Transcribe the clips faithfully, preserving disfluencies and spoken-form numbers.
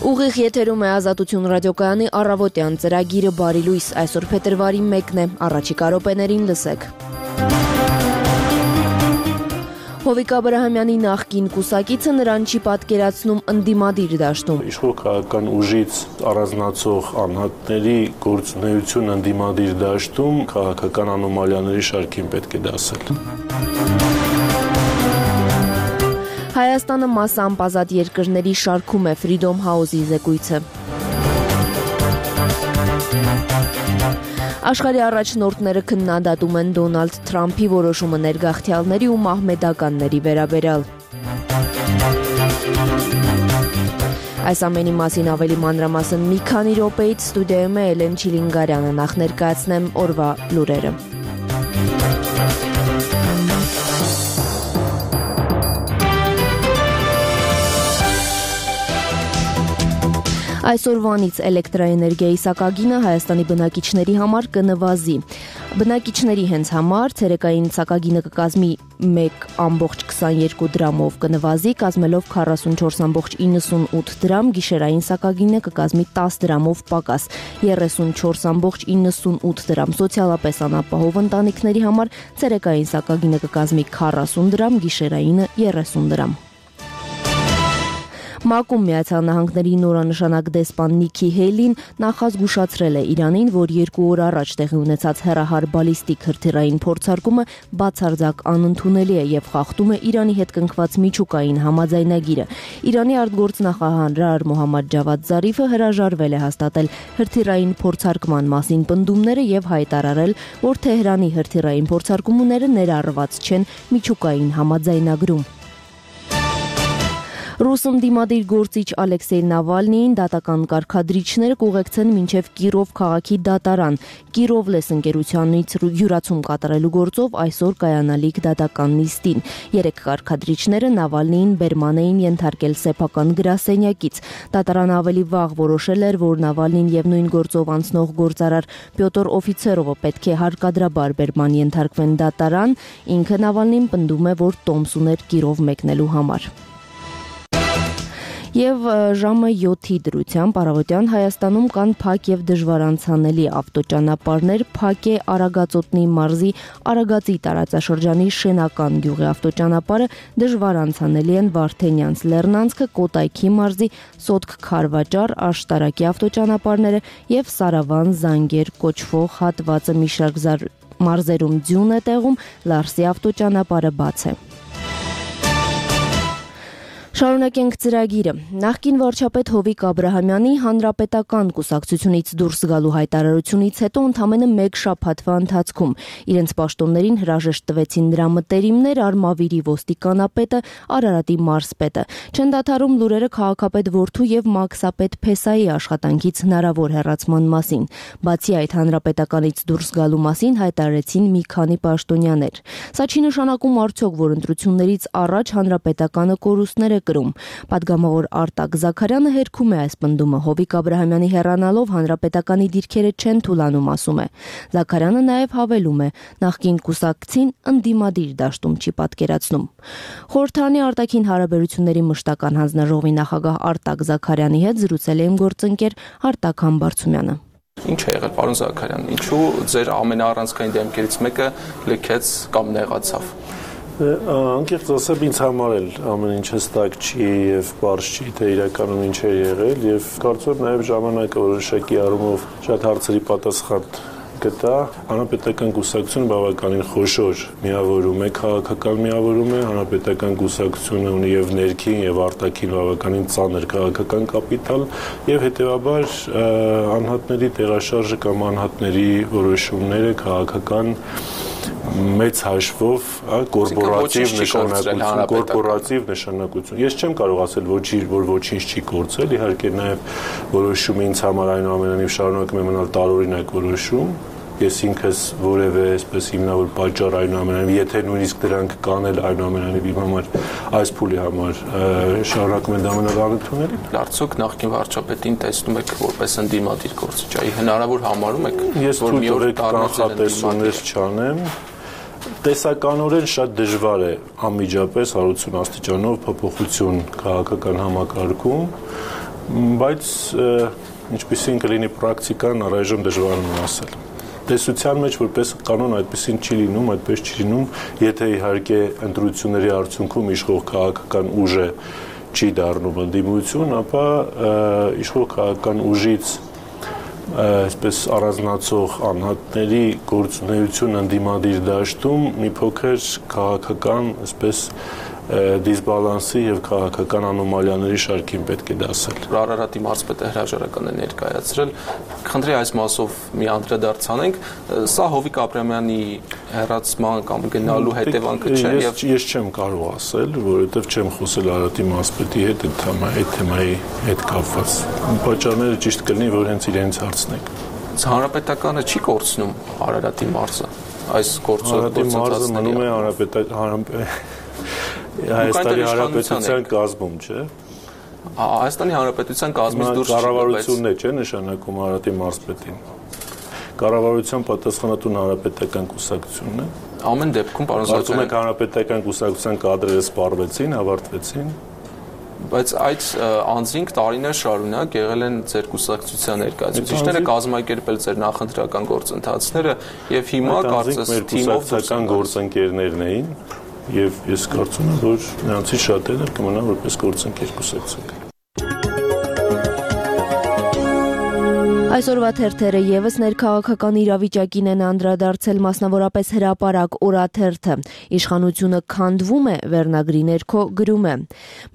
Ուղիղ եթերում է Ազատություն ռադիոկայանի առավոտյան ծրագիրը Բարի լույս, այսօր փետրվարի մեկն է, առաջիկա րոպեներին լսեք։ Հովիկ Աբրահամյանի նախկին կուսակիցը նրան չի պատկերացնում ընդդիմադիր դաշտում։ Իշխող քաղաքական ուժից առանձնացող անհատների գործունեություն ընդդիմադիր դաշտում քաղաքական անոմալիաների շարքին պետք է դասել։ Հայաստանը մասամբ ազատ երկրների շարքում է Freedom House-ի զեկույցը։ Աշխարհի առաջնորդները քննադատում են Դոնալդ Թրամփի որոշումը ներգաղթյալների ու մահմեդականների վերաբերյալ։ Այս ամենի մասին ավելի մանրամասն մի քանի րոպեից ստուդիայում է Էլեն Չիլինգարյանը, նախ ներկայացնեմ օրվա լուրերը։ Այսօրվանից էլեկտրաէներգիայի սակագինը Հայաստանի բնակիչների համար կնվազի։ Բնակիչների հենց համար ցերեկային սակագինը կկազմի մեկ կόμma քսաներկու դրամով կնվազի, կազմելով քառասունչորս կόμma իննսունութ դրամ, գիշերային սակագինը կկազմի տասը դրամով պակաս, երեսունչորս կόμma իննսունութ դրամ։ Սոցիալապես անապահով ընտանիքների համար ցերեկային սակագինը կկազմի քառասուն դրամ, գիշերայինը երեսուն դրամ։ ՄԱԿ-ում Միացյալ Նահանգների նորանշանակ դեսպան Նիքի Հեյլին նախազգուշացրել է Իրանին, որ երկու օր առաջ տեղի ունեցած հեռահար բալիստիկ հրթիռային փորձարկումը բացարձակ անընդունելի է եւ խախտում է Իրանի հետ կնքված միջուկային համաձայնագիրը։ Իրանի արտգործնախարար Մոհամմադ Ջավադ Զարիֆը հրաժարվել է հաստատել հրթիռային փորձարկման մասին պնդումները եւ հայտարարել, որ Թեհրանի հրթիռային փորձարկումները ներառված չեն միջուկային համաձայնագրում։ Ռուս ընդդիմադիր գործիչ Ալեքսեյ Նավալնիին դատական կարգադրիչները կուղեկցեն մինչև Կիրով քաղաքի դատարան։ Կիրովլես ընկերությանից յուրացում կատարելու գործով այսօր կայանալիք դատական նիստին։ Երեք կարգադրիչները Նավալնիին բերման էին ենթարկել սեփական գրասենյակից։ Դատարանը ավելի վաղ որոշել էր, որ Նավալնին եւ նույն գործով անցնող գործարար Պյոտր Օֆիցերովը պետք է հարկադրաբար բերման ենթարկվեն դատարան։ Ինքը Նավալնին պնդում է, որ տոմս ուներ Կիրով մեկնելու համար։ Եվ ժամը յոթի դրությամբ առավոտյան Հայաստանում կան փակ եւ դժվար անցանելի ավտոճանապարհներ, փակ է Արագածոտնի մարզի Արագածի տարածաշրջանի Շենական գյուղի ավտոճանապարհը, դժվար անցանելի են Վարդենյանց Լեռնանցքը, Կոտայքի մարզի Սոտք Քարվաճար, Աշտարակի ավտոճանապարհները եւ Սարավան Զանգեր կոչվող հատվածը մի շարք մարզերում ձյուն է տեղում, Լարսի ավտոճանապարհը բաց է։ Շարունակենք ծրագիրը։ Նախկին վարչապետ Հովիկ Աբրահամյանի հանրապետական կուսակցությունից դուրս գալու հայտարարությունից հետո ընդամենը մեկ շաբաթվա ընթացքում իրենց պաշտոններին հրաժեշտ տվեցին նրա մտերիմներ, Արմավիրի ոստիկանապետը, Արարատի մարզպետը։ Չեն դադարում լուրերը քաղաքապետ որդու եւ մաքսապետ Փեսայի աշխատանքից հնարավոր հեռացման մասին։ Բացի այդ, հանրապետականից դուրս գալու մասին հայտարարեցին մի քանի պաշտոնյաներ։ Սա չի նշանակում արդյոք, որ ընտրություններից առաջ հանրապետականը կորուստներ կրում։ Պատգամավոր Արտակ Զաքարյանը հերքում է այս պնդումը։ Հովիկ Աբրահամյանի հեռանալով հանրապետականի դիրքերը չեն թուլանում, ասում է։ Զաքարյանը նաև հավելում է, նախկին կուսակցին ընդդիմադիր դաշտում չի պատկերացնում։ Խորհրդարանի արտաքին հարաբերությունների մշտական հանձնաժողովի նախագահ Արտակ Զաքարյանի հետ զրուցել է իմ գործընկեր Արտակ Համբարձումյանը։ Ինչ է եղել, պարոն Զաքարյան, ինչու ձեր ամենաառանցքային դեմքերից մեկը լքեց կամ նեղացավ։ Անկեղծ ասեմ, ինձ համար էլ ամեն ինչ հստակ չի եւ բարձ չի, թե իրականում ինչ է եղել եւ կարծում եմ նաեւ ժամանակը որոշակի առումով շատ հարցերի պատասխան գտա։ Հանրապետական կուսակցությունը բավականին խոշոր միավորում է, քաղաքական միավորում է, հանրապետական կուսակցությունը ունի եւ ներքին եւ արտաքին բավականին ծանր քաղաքական կապիտալ եւ հետեւաբար անհատների տեղաշարժը կամ անհատների որոշումները քաղաքական մեծ հաշվով կորպորատիվ նշանակություն, կորպորատիվ նշանակություն։ Ես չեմ կարող ասել, որ ոչինչ չի կորցրել, իհարկե նաև որոշումը ինձ համար այնուամենայնիվ շարունակում է մնալ տարօրինակ որոշում։ Ես ինքս որևէ այսպես հիմնավոր պատճառ այնուամենայնիվ, եթե նույնիսկ դրանք կանել այնուամենայնիվ իմ համար այս փուլի համար շարունակում են դա մնալ անընդունելի։ Արդյոք նախկին վարչապետին տեսնում եք որպես ընդդիմադիր գործիչ, այ հնարավոր համարում եք, որ մի օր կանխատեսումներ չանեմ։ Տեսականորեն շատ դժվար է անմիջապես հարուցուն աստիճանով փոփոխություն քաղաքական համակարգում, Բայց ինչպեսին կլինի պրակտիկան, առայժմ դժվար է ասել։ Տեսության մեջ որպես կանոն այդպեսին չի լինում, այդպես չի լինում, եթե իհարկե ընտրությունների արդյունքում իշխող քաղաքական ուժը չի դառնում ընդդիմություն, ապա իշխող քաղաքական ուժից այսպես առանձնացող անհատների գործունեություն ընդդիմադիր դաշտում մի փոքր քաղաքական այսպես դիսբալանսի եւ քաղաքական անոմալիաների շարքին պետք է դասել։ Արարատի մարզպետը հրաժարական է ներկայացրել։ Խնդրի այս մասով մի անդրադարձ անենք։ Սա Հովիկ Աբրամյանի հեռացման կամ գնալու հետևանքը չէ եւ ես չեմ կարող ասել, որովհետեւ չեմ խոսել Արարատի մարզպետի հետ այդ թեմայի հետ կապված։ Պատճառները ճիշտ կլինի, որ հենց իրենց հարցնեք։ Հանրապետականը չի կորցնում Արարատի մարզը։ Այս գործընթացը մնում է հանրապետական Հայաստանի Հանրապետության կազմում, չէ։ Հայաստանի Հանրապետության կազմից դուրս չի, կառավարությունն է, չէ, նշանակում Արարատի մարզպետին։ Կառավարության պատասխանատուն հանրապետական կուսակցությունն է։ Ամեն դեպքում, պարոն Սարգսյան, կարծում եք հանրապետական կուսակցության կադրերը սպառվեցին, ավարտվեցին։ Բայց այդ անձինք տարիներ շարունակ եղել են ձեր կուսակցության ներկայացուցիչները, կազմակերպել ձեր նախընտրական գործընթացները եւ հիմա կարծես թիմով կուսակցական գործընկերներն էին եւ ես կարծում եմ, որ նրանցից շատերը կմնան որպես գործընկեր կուսակցություն։ Այսօրվա թերթերը եւս ներքաղաքական իրավիճակին են անդրադարձել, մասնավորապես հրապարակ օրաթերթը։ Իշխանությունը քանդվում է, վերնագրի ներքո գրում է.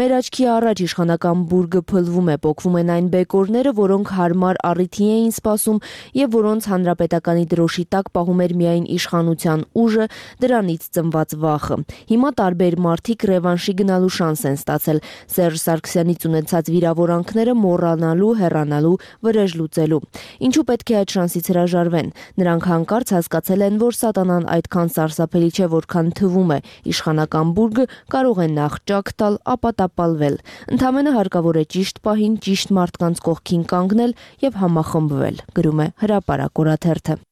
Մեր աչքի առաջ իշխանական բուրգը փլվում է, պոկվում են այն բեկորները, որոնք հարմար առիթի էին սպասում եւ որոնց հանրապետականի դրոշի տակ պահում էր միայն իշխանության ուժը, դրանից ծնված վախը։ Հիմա տարբեր մարդիկ ռևանշի գնալու շանս են ստացել, Սերժ Սարգսյանից ունեցած վիրավորանքները մոռանալու, հեռանալու, վրեժ լուծելու։ Ինչու պետք է այդ շանսից հրաժարվեն։ Նրանք հանկարծ հասկացել են, որ սատանան այդքան սարսափելի չէ, որքան թվում է։ Իշխանական բուրգը կարող է նախ ճակ տալ, ապա տապալվել։ Ընդամենը հարկավոր է ճիշտ պահին ճիշտ մարդկանց կողքին կանգնել եւ համախմբվել, գրում է հրապարակ օրաթերթը։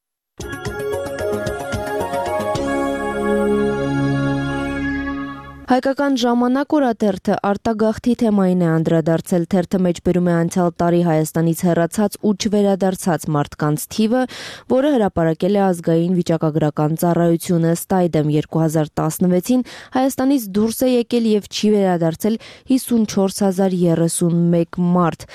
Հայկական ժամանակ օրաթերթը արտագաղթի թեմային է անդրադարձել, թերթը մեջբերում է անցյալ տարի Հայաստանից հեռացած ու չվերադարձած մարդկանց թիվը, որը հրապարակել է ազգային վիճակագրական ծառայությունը, ըստ այդմ երկու հազար տասնվեցին Հայաստանից դուրս է եկել եւ չի վերադարձել հիսունչորս հազար երեսունմեկ մարդ։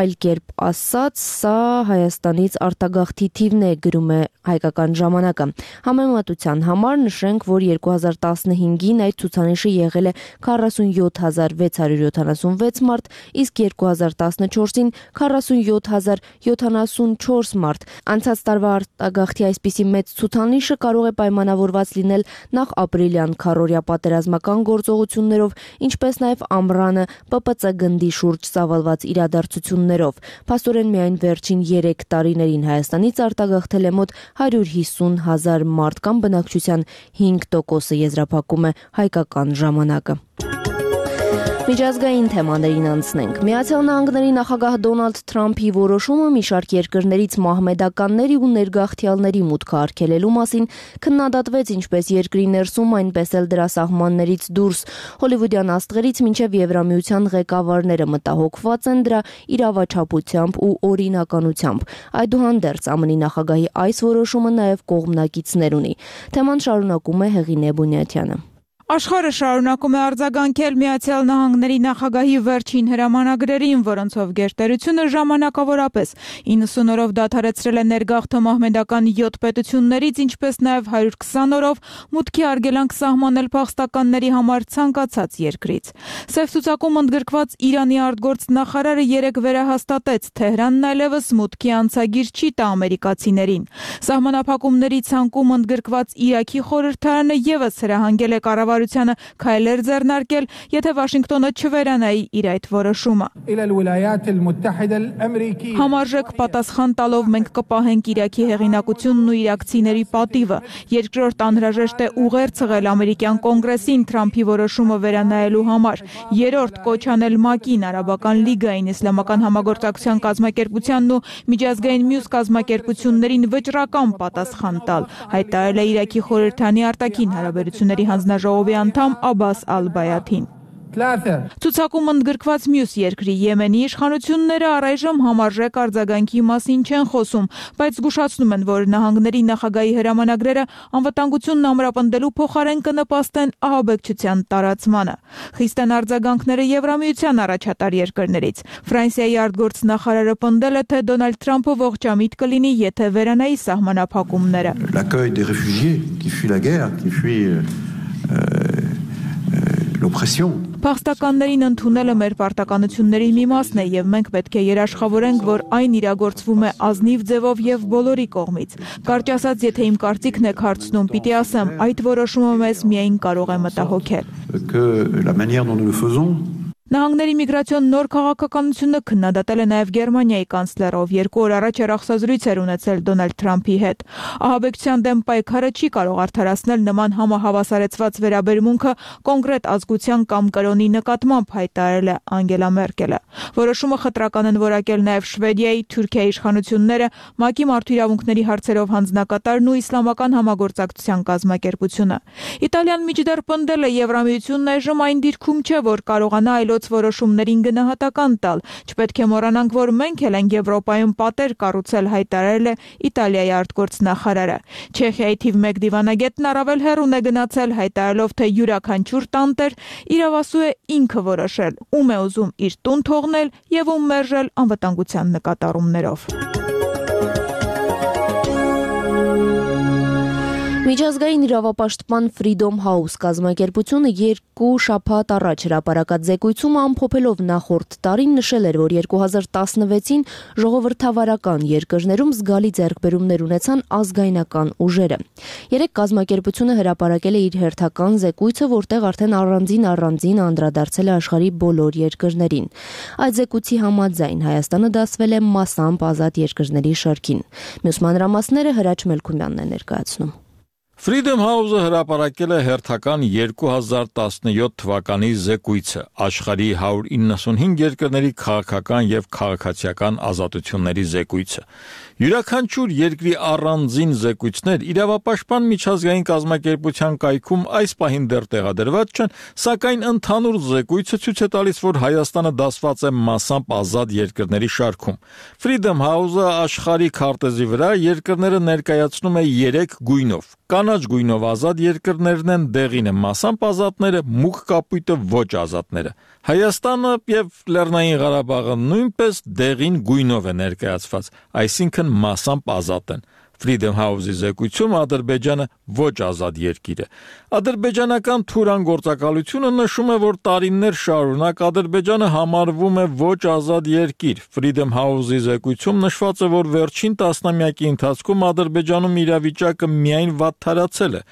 Այլ կերպ ասած, սա Հայաստանից արտագաղթի թիվն է, գրում է Հայկական ժամանակը։ Համեմատության համար նշենք, որ երկու հազար տասնհինգին այդ ցուցանիշը եղել է քառասունյոթ հազար վեց հարյուր յոթանասունվեց մարդ, իսկ երկու հազար տասնչորսին քառասունյոթ հազար յոթանասունչորս մարդ։ Անցած տարվա արտագաղթի այսպիսի մեծ ցուցանիշը կարող է պայմանավորված լինել նախ ապրիլյան քառօրյա պատերազմական գործողություններով, ինչպես նաև ամռանը Պ Պ Ց գնդի շուրջ ծավալված իրադարձություններով։ Փաստորեն միայն վերջին երեք տարիներին Հայաստանից արտագաղթել է մոտ հարյուր հիսուն հազար մարդ կամ բնակչության հինգ տոկոսը, եզրափակում է Հայկական ժամանակը։ Միջազգային թեմաներին անցնենք։ Միացյալ Նահանգների նախագահ Դոնալդ Թրամփի որոշումը մի շարք երկրներից մահմեդականների ու ներգաղթյալների մուտքը արգելելու մասին քննադատվեց ինչպես երկրի ներսում, այնպես էլ դրա սահմաններից դուրս։ Հոլիվուդյան աստղերից մինչև Եվրամիության ղեկավարները մտահոգված են դրա իրավաչափությամբ ու օրինականությամբ։ Այդուհանդերձ ԱՄՆ-ի նախագահի այս որոշումը նաև կողմնակիցներ ունի։ Թեման շարունակում է Հեղինե Բունյաթյանը։ Աշխարհը շարունակում է արձագանքել Միացյալ Նահանգների նախագահի վերջին հրամանագրերին, որոնցով գերտերությունը ժամանակավորապես իննսուն օրով դադարեցրել է ներգաղթը մահմեդական յոթ պետություններից, ինչպես նաև հարյուր քսան օրով մուտքի արգելանք սահմանել փախստականների համար ցանկացած երկրից։ Սև ցուցակում ընդգրկված Իրանի արտգործնախարարը երեկ վերահաստատեց, Թեհրանն այլևս մուտքի անցագիր չի տա ամերիկացիներին։ Սահմանափակումների ցանկում ընդգրկված Իրաքի խորհրդարանը ևս հրահանգել է կառավարությանը քայլեր ձեռնարկել, եթե Վաշինգտոնը չվերանայի իր այդ որոշումը։ Համարժեք պատասխան տալով մենք կպահենք Իրաքի հեղինակությունն ու իրաքցիների պատիվը։ Երկրորդ անհրաժեշտ է ուղերձ ամերիկյան կոնգրեսին Թրամփի որոշումը վերանայելու համար։ Երրորդ կոչ անել ՄԱԿ-ին, Արաբական լիգային, Իսլամական համագործակցության կազմակերպությանն ու միջազգային մյուս կազմակերպություններին վճռական պատասխան տալ, հայտարարել է Իրաքի խորհրդանի արտաքին հարաբերությունների հանձնաժողովի անդամ Աբբաս Ալ-Բայաթին։ Ցուցակում ընդգրկված մյուս երկրի Եմենի իշխանությունները առայժմ համարժեք արձագանքի մասին չեն խոսում, բայց զգուշացնում են, որ նահանգների նախագահի հրամանագրերը անվտանգությունն ամրապնդելու փոխարեն կնպաստեն ահաբեկչության տարածմանը։ Խիստ են արձագանքները Եվրամիության առաջատար երկրներից։ Ֆրանսիայի արտգործնախարարը պնդել է, թե Դոնալդ Թրամփը ողջամիտ կլինի, եթե վերանայի սահմանափակումները։ L'accueil des réfugiés qui fuient la guerre, qui fuient l'oppression. Փախստականներին ընդունելը մեր պարտականությունների մի մասն է եւ մենք պետք է երաշխավորենք, որ այն իրագործվում է ազնիվ ձևով եւ բոլորի կողմից։ Կարճ ասած, եթե իմ կարծիքն եք հարցնում, պիտի ասեմ, այդ որոշումը մեզ միայն կարող է մտահոգել։ Que la manière dont nous le faisons Նահանգների միգրացիոն նոր քաղաքականությունը քննադատել է նաև Գերմանիայի կանցլերը, ով երկու օր առաջ հեռախոսազրույց էր ունեցել Դոնալդ Թրամփի հետ։ Ահաբեկչության դեմ պայքարը չի կարող արդարացնել նման համահավասարեցված վերաբերմունքը կոնկրետ ազգության կամ կրոնի նկատմամբ, հայտարարել է Անգելա Մերկելը։ Որոշումը խտրական են որակել նաև Շվեդիայի, Թուրքիայի իշխանությունները, ՄԱԿ-ի մարդու իրավունքների հարցերով հանձնակատարն ու իսլամական համագործակցության կազմակերպությունը։ Իտալիան միջդեռ պնդել է Եվրամիությունն այժմ այն դիրքում չէ, որ կարողանա այլոց որոշումներին գնահատական տալ։ Չպետք է մոռանանք, որ մենք էլ ենք Եվրոպայում պատեր կառուցել, հայտարարել է Իտալիայի արտգործնախարարը։ Չեխիայի թիվ մեկ դիվանագետն առավել հեռուն է գնացել, հայտարարելով, թե յուրաքանչյուր տանտեր իրավասու է ինքը որոշել, ում է ուզում իր տուն թողնել եւ ում մերժել անվտանգության նկատառումներով։ Միջազգային իրավապաշտպան Freedom House կազմակերպությունը երկու շաբաթ առաջ հրապարակած զեկույցում ամփոփելով նախորդ տարին նշել էր, որ երկու հազար տասնվեցին ժողովրդավարական երկրներում զգալի ձեռքբերումներ ունեցան ազգայնական ուժերը։ Երեք կազմակերպությունը հրապարակել է իր հերթական զեկույցը, որտեղ արդեն առանձին առանձին անդրադարձել է աշխարհի բոլոր երկրներին։ Այդ զեկույցի համաձայն Հայաստանը դասվել է մասամբ ազատ երկրների շարքին։ Մյուս մանրամասները Հրաչ Մելքումյանն է ներկայացնում։ Freedom House-ը հրապարակել է հերթական երկու հազար տասնյոթ թվականի զեկույցը աշխարհի հարյուր իննսունհինգ երկրների քաղաքական եւ քաղաքացիական ազատությունների զեկույցը։ Յուրաքանչյուր երկրի առանձին զեկույցներ իրավապաշտպան միջազգային կազմակերպության կայքում այս պահին դեռ տեղադրված չեն, սակայն ընդհանուր զեկույցը ցույց է տալիս, որ Հայաստանը դասված է մասամբ ազատ երկրների շարքում։ Freedom House-ը աշխարհի քարտեզի վրա երկրները ներկայացնում է երեք գույնով։ Կանաչ գույնով ազատ երկրներն են, դեղին է մասամբ ազատները, մուգ կապույտը ոչ ազատները։ Հայաստանը եւ Լեռնային Ղարաբաղը նույնպես դեղին գույնով է ներկայացված, այսինքն մասամբ ազատ են։ Freedom House-ի զեկույցում Ադրբեջանը ոչ ազատ երկիր է։ Ադրբեջանական Թուրան գործակալությունը նշում է, որ տարիներ շարունակ Ադրբեջանը համարվում է ոչ ազատ երկիր։ Freedom House-ի զեկույցում նշված է, որ վերջին տասնամյակի ընթացքում Ադրբեջանում իրավիճակը միայն վատթարացել է։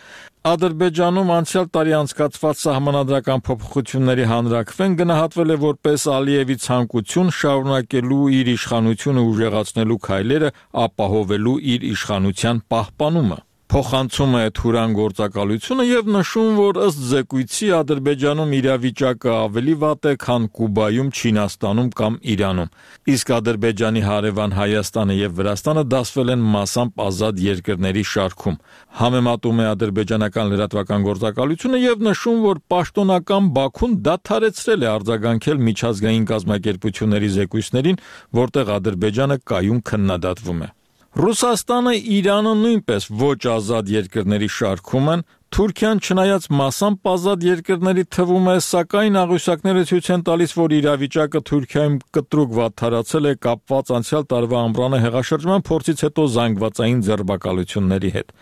Ադրբեջանում անցյալ տարի անցկացված սահմանադրական փոփոխությունների հանրաքվեն գնահատվել է որպես Ալիևի ցանկություն շարունակելու իր իշխանությունը ուժեղացնելու քայլերը, ապահովելու իր իշխանության պահպանումը։ Փոխանցում է Թուրան գործակալությունը եւ նշում, որ ըստ զեկույցի Ադրբեջանում իրավիճակը ավելի վատ է, քան Կուբայում, Չինաստանում կամ Իրանում։ Իսկ Ադրբեջանի հարևան Հայաստանը եւ Վրաստանը դասվել են մասամբ ազատ երկրների շարքում։ Համեմատում է ադրբեջանական լրատվական գործակալությունը եւ նշում, որ պաշտոնական Բաքուն դադարեցրել է արձագանքել միջազգային կազմակերպությունների զեկույցներին, որտեղ Ադրբեջանը կայուն քննադատվում է։ Ռուսաստանը, Իրանը նույնպես ոչ ազատ երկրների շարքում են, Թուրքիան չնայած մասամբ ազատ երկրների թվում է, սակայն աղյուսակները ցույց են տալիս, որ իրավիճակը Թուրքիայում կտրուկ վատթարացել է կապված անցյալ տարվա ամռանը հեղաշրջման փորձից հետո զանգվածային ձերբակալությունների հետ։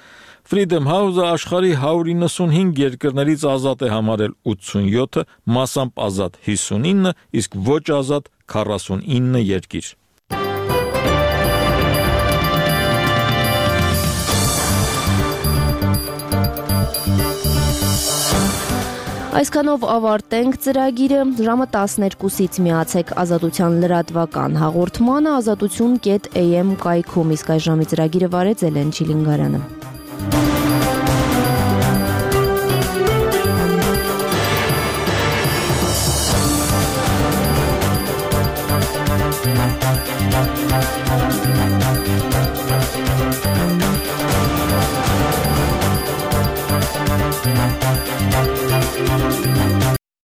Freedom House-ը աշխարհի հարյուր իննսունհինգ երկրներից ազատ է համարել ութսունյոթը, մասամբ ազատ հիսունինը, իսկ ոչ ազատ քառասունինը երկիր։ Այսքանով ավարտենք ծրագիրը, ժամը տասներկուսից միացեք Ազատության լրատվական հաղորդմանը ազատություն կետ էյ էմ կայքում, իսկ այս ժամի ծրագիրը վարեց Էլեն Չիլինգարյանը։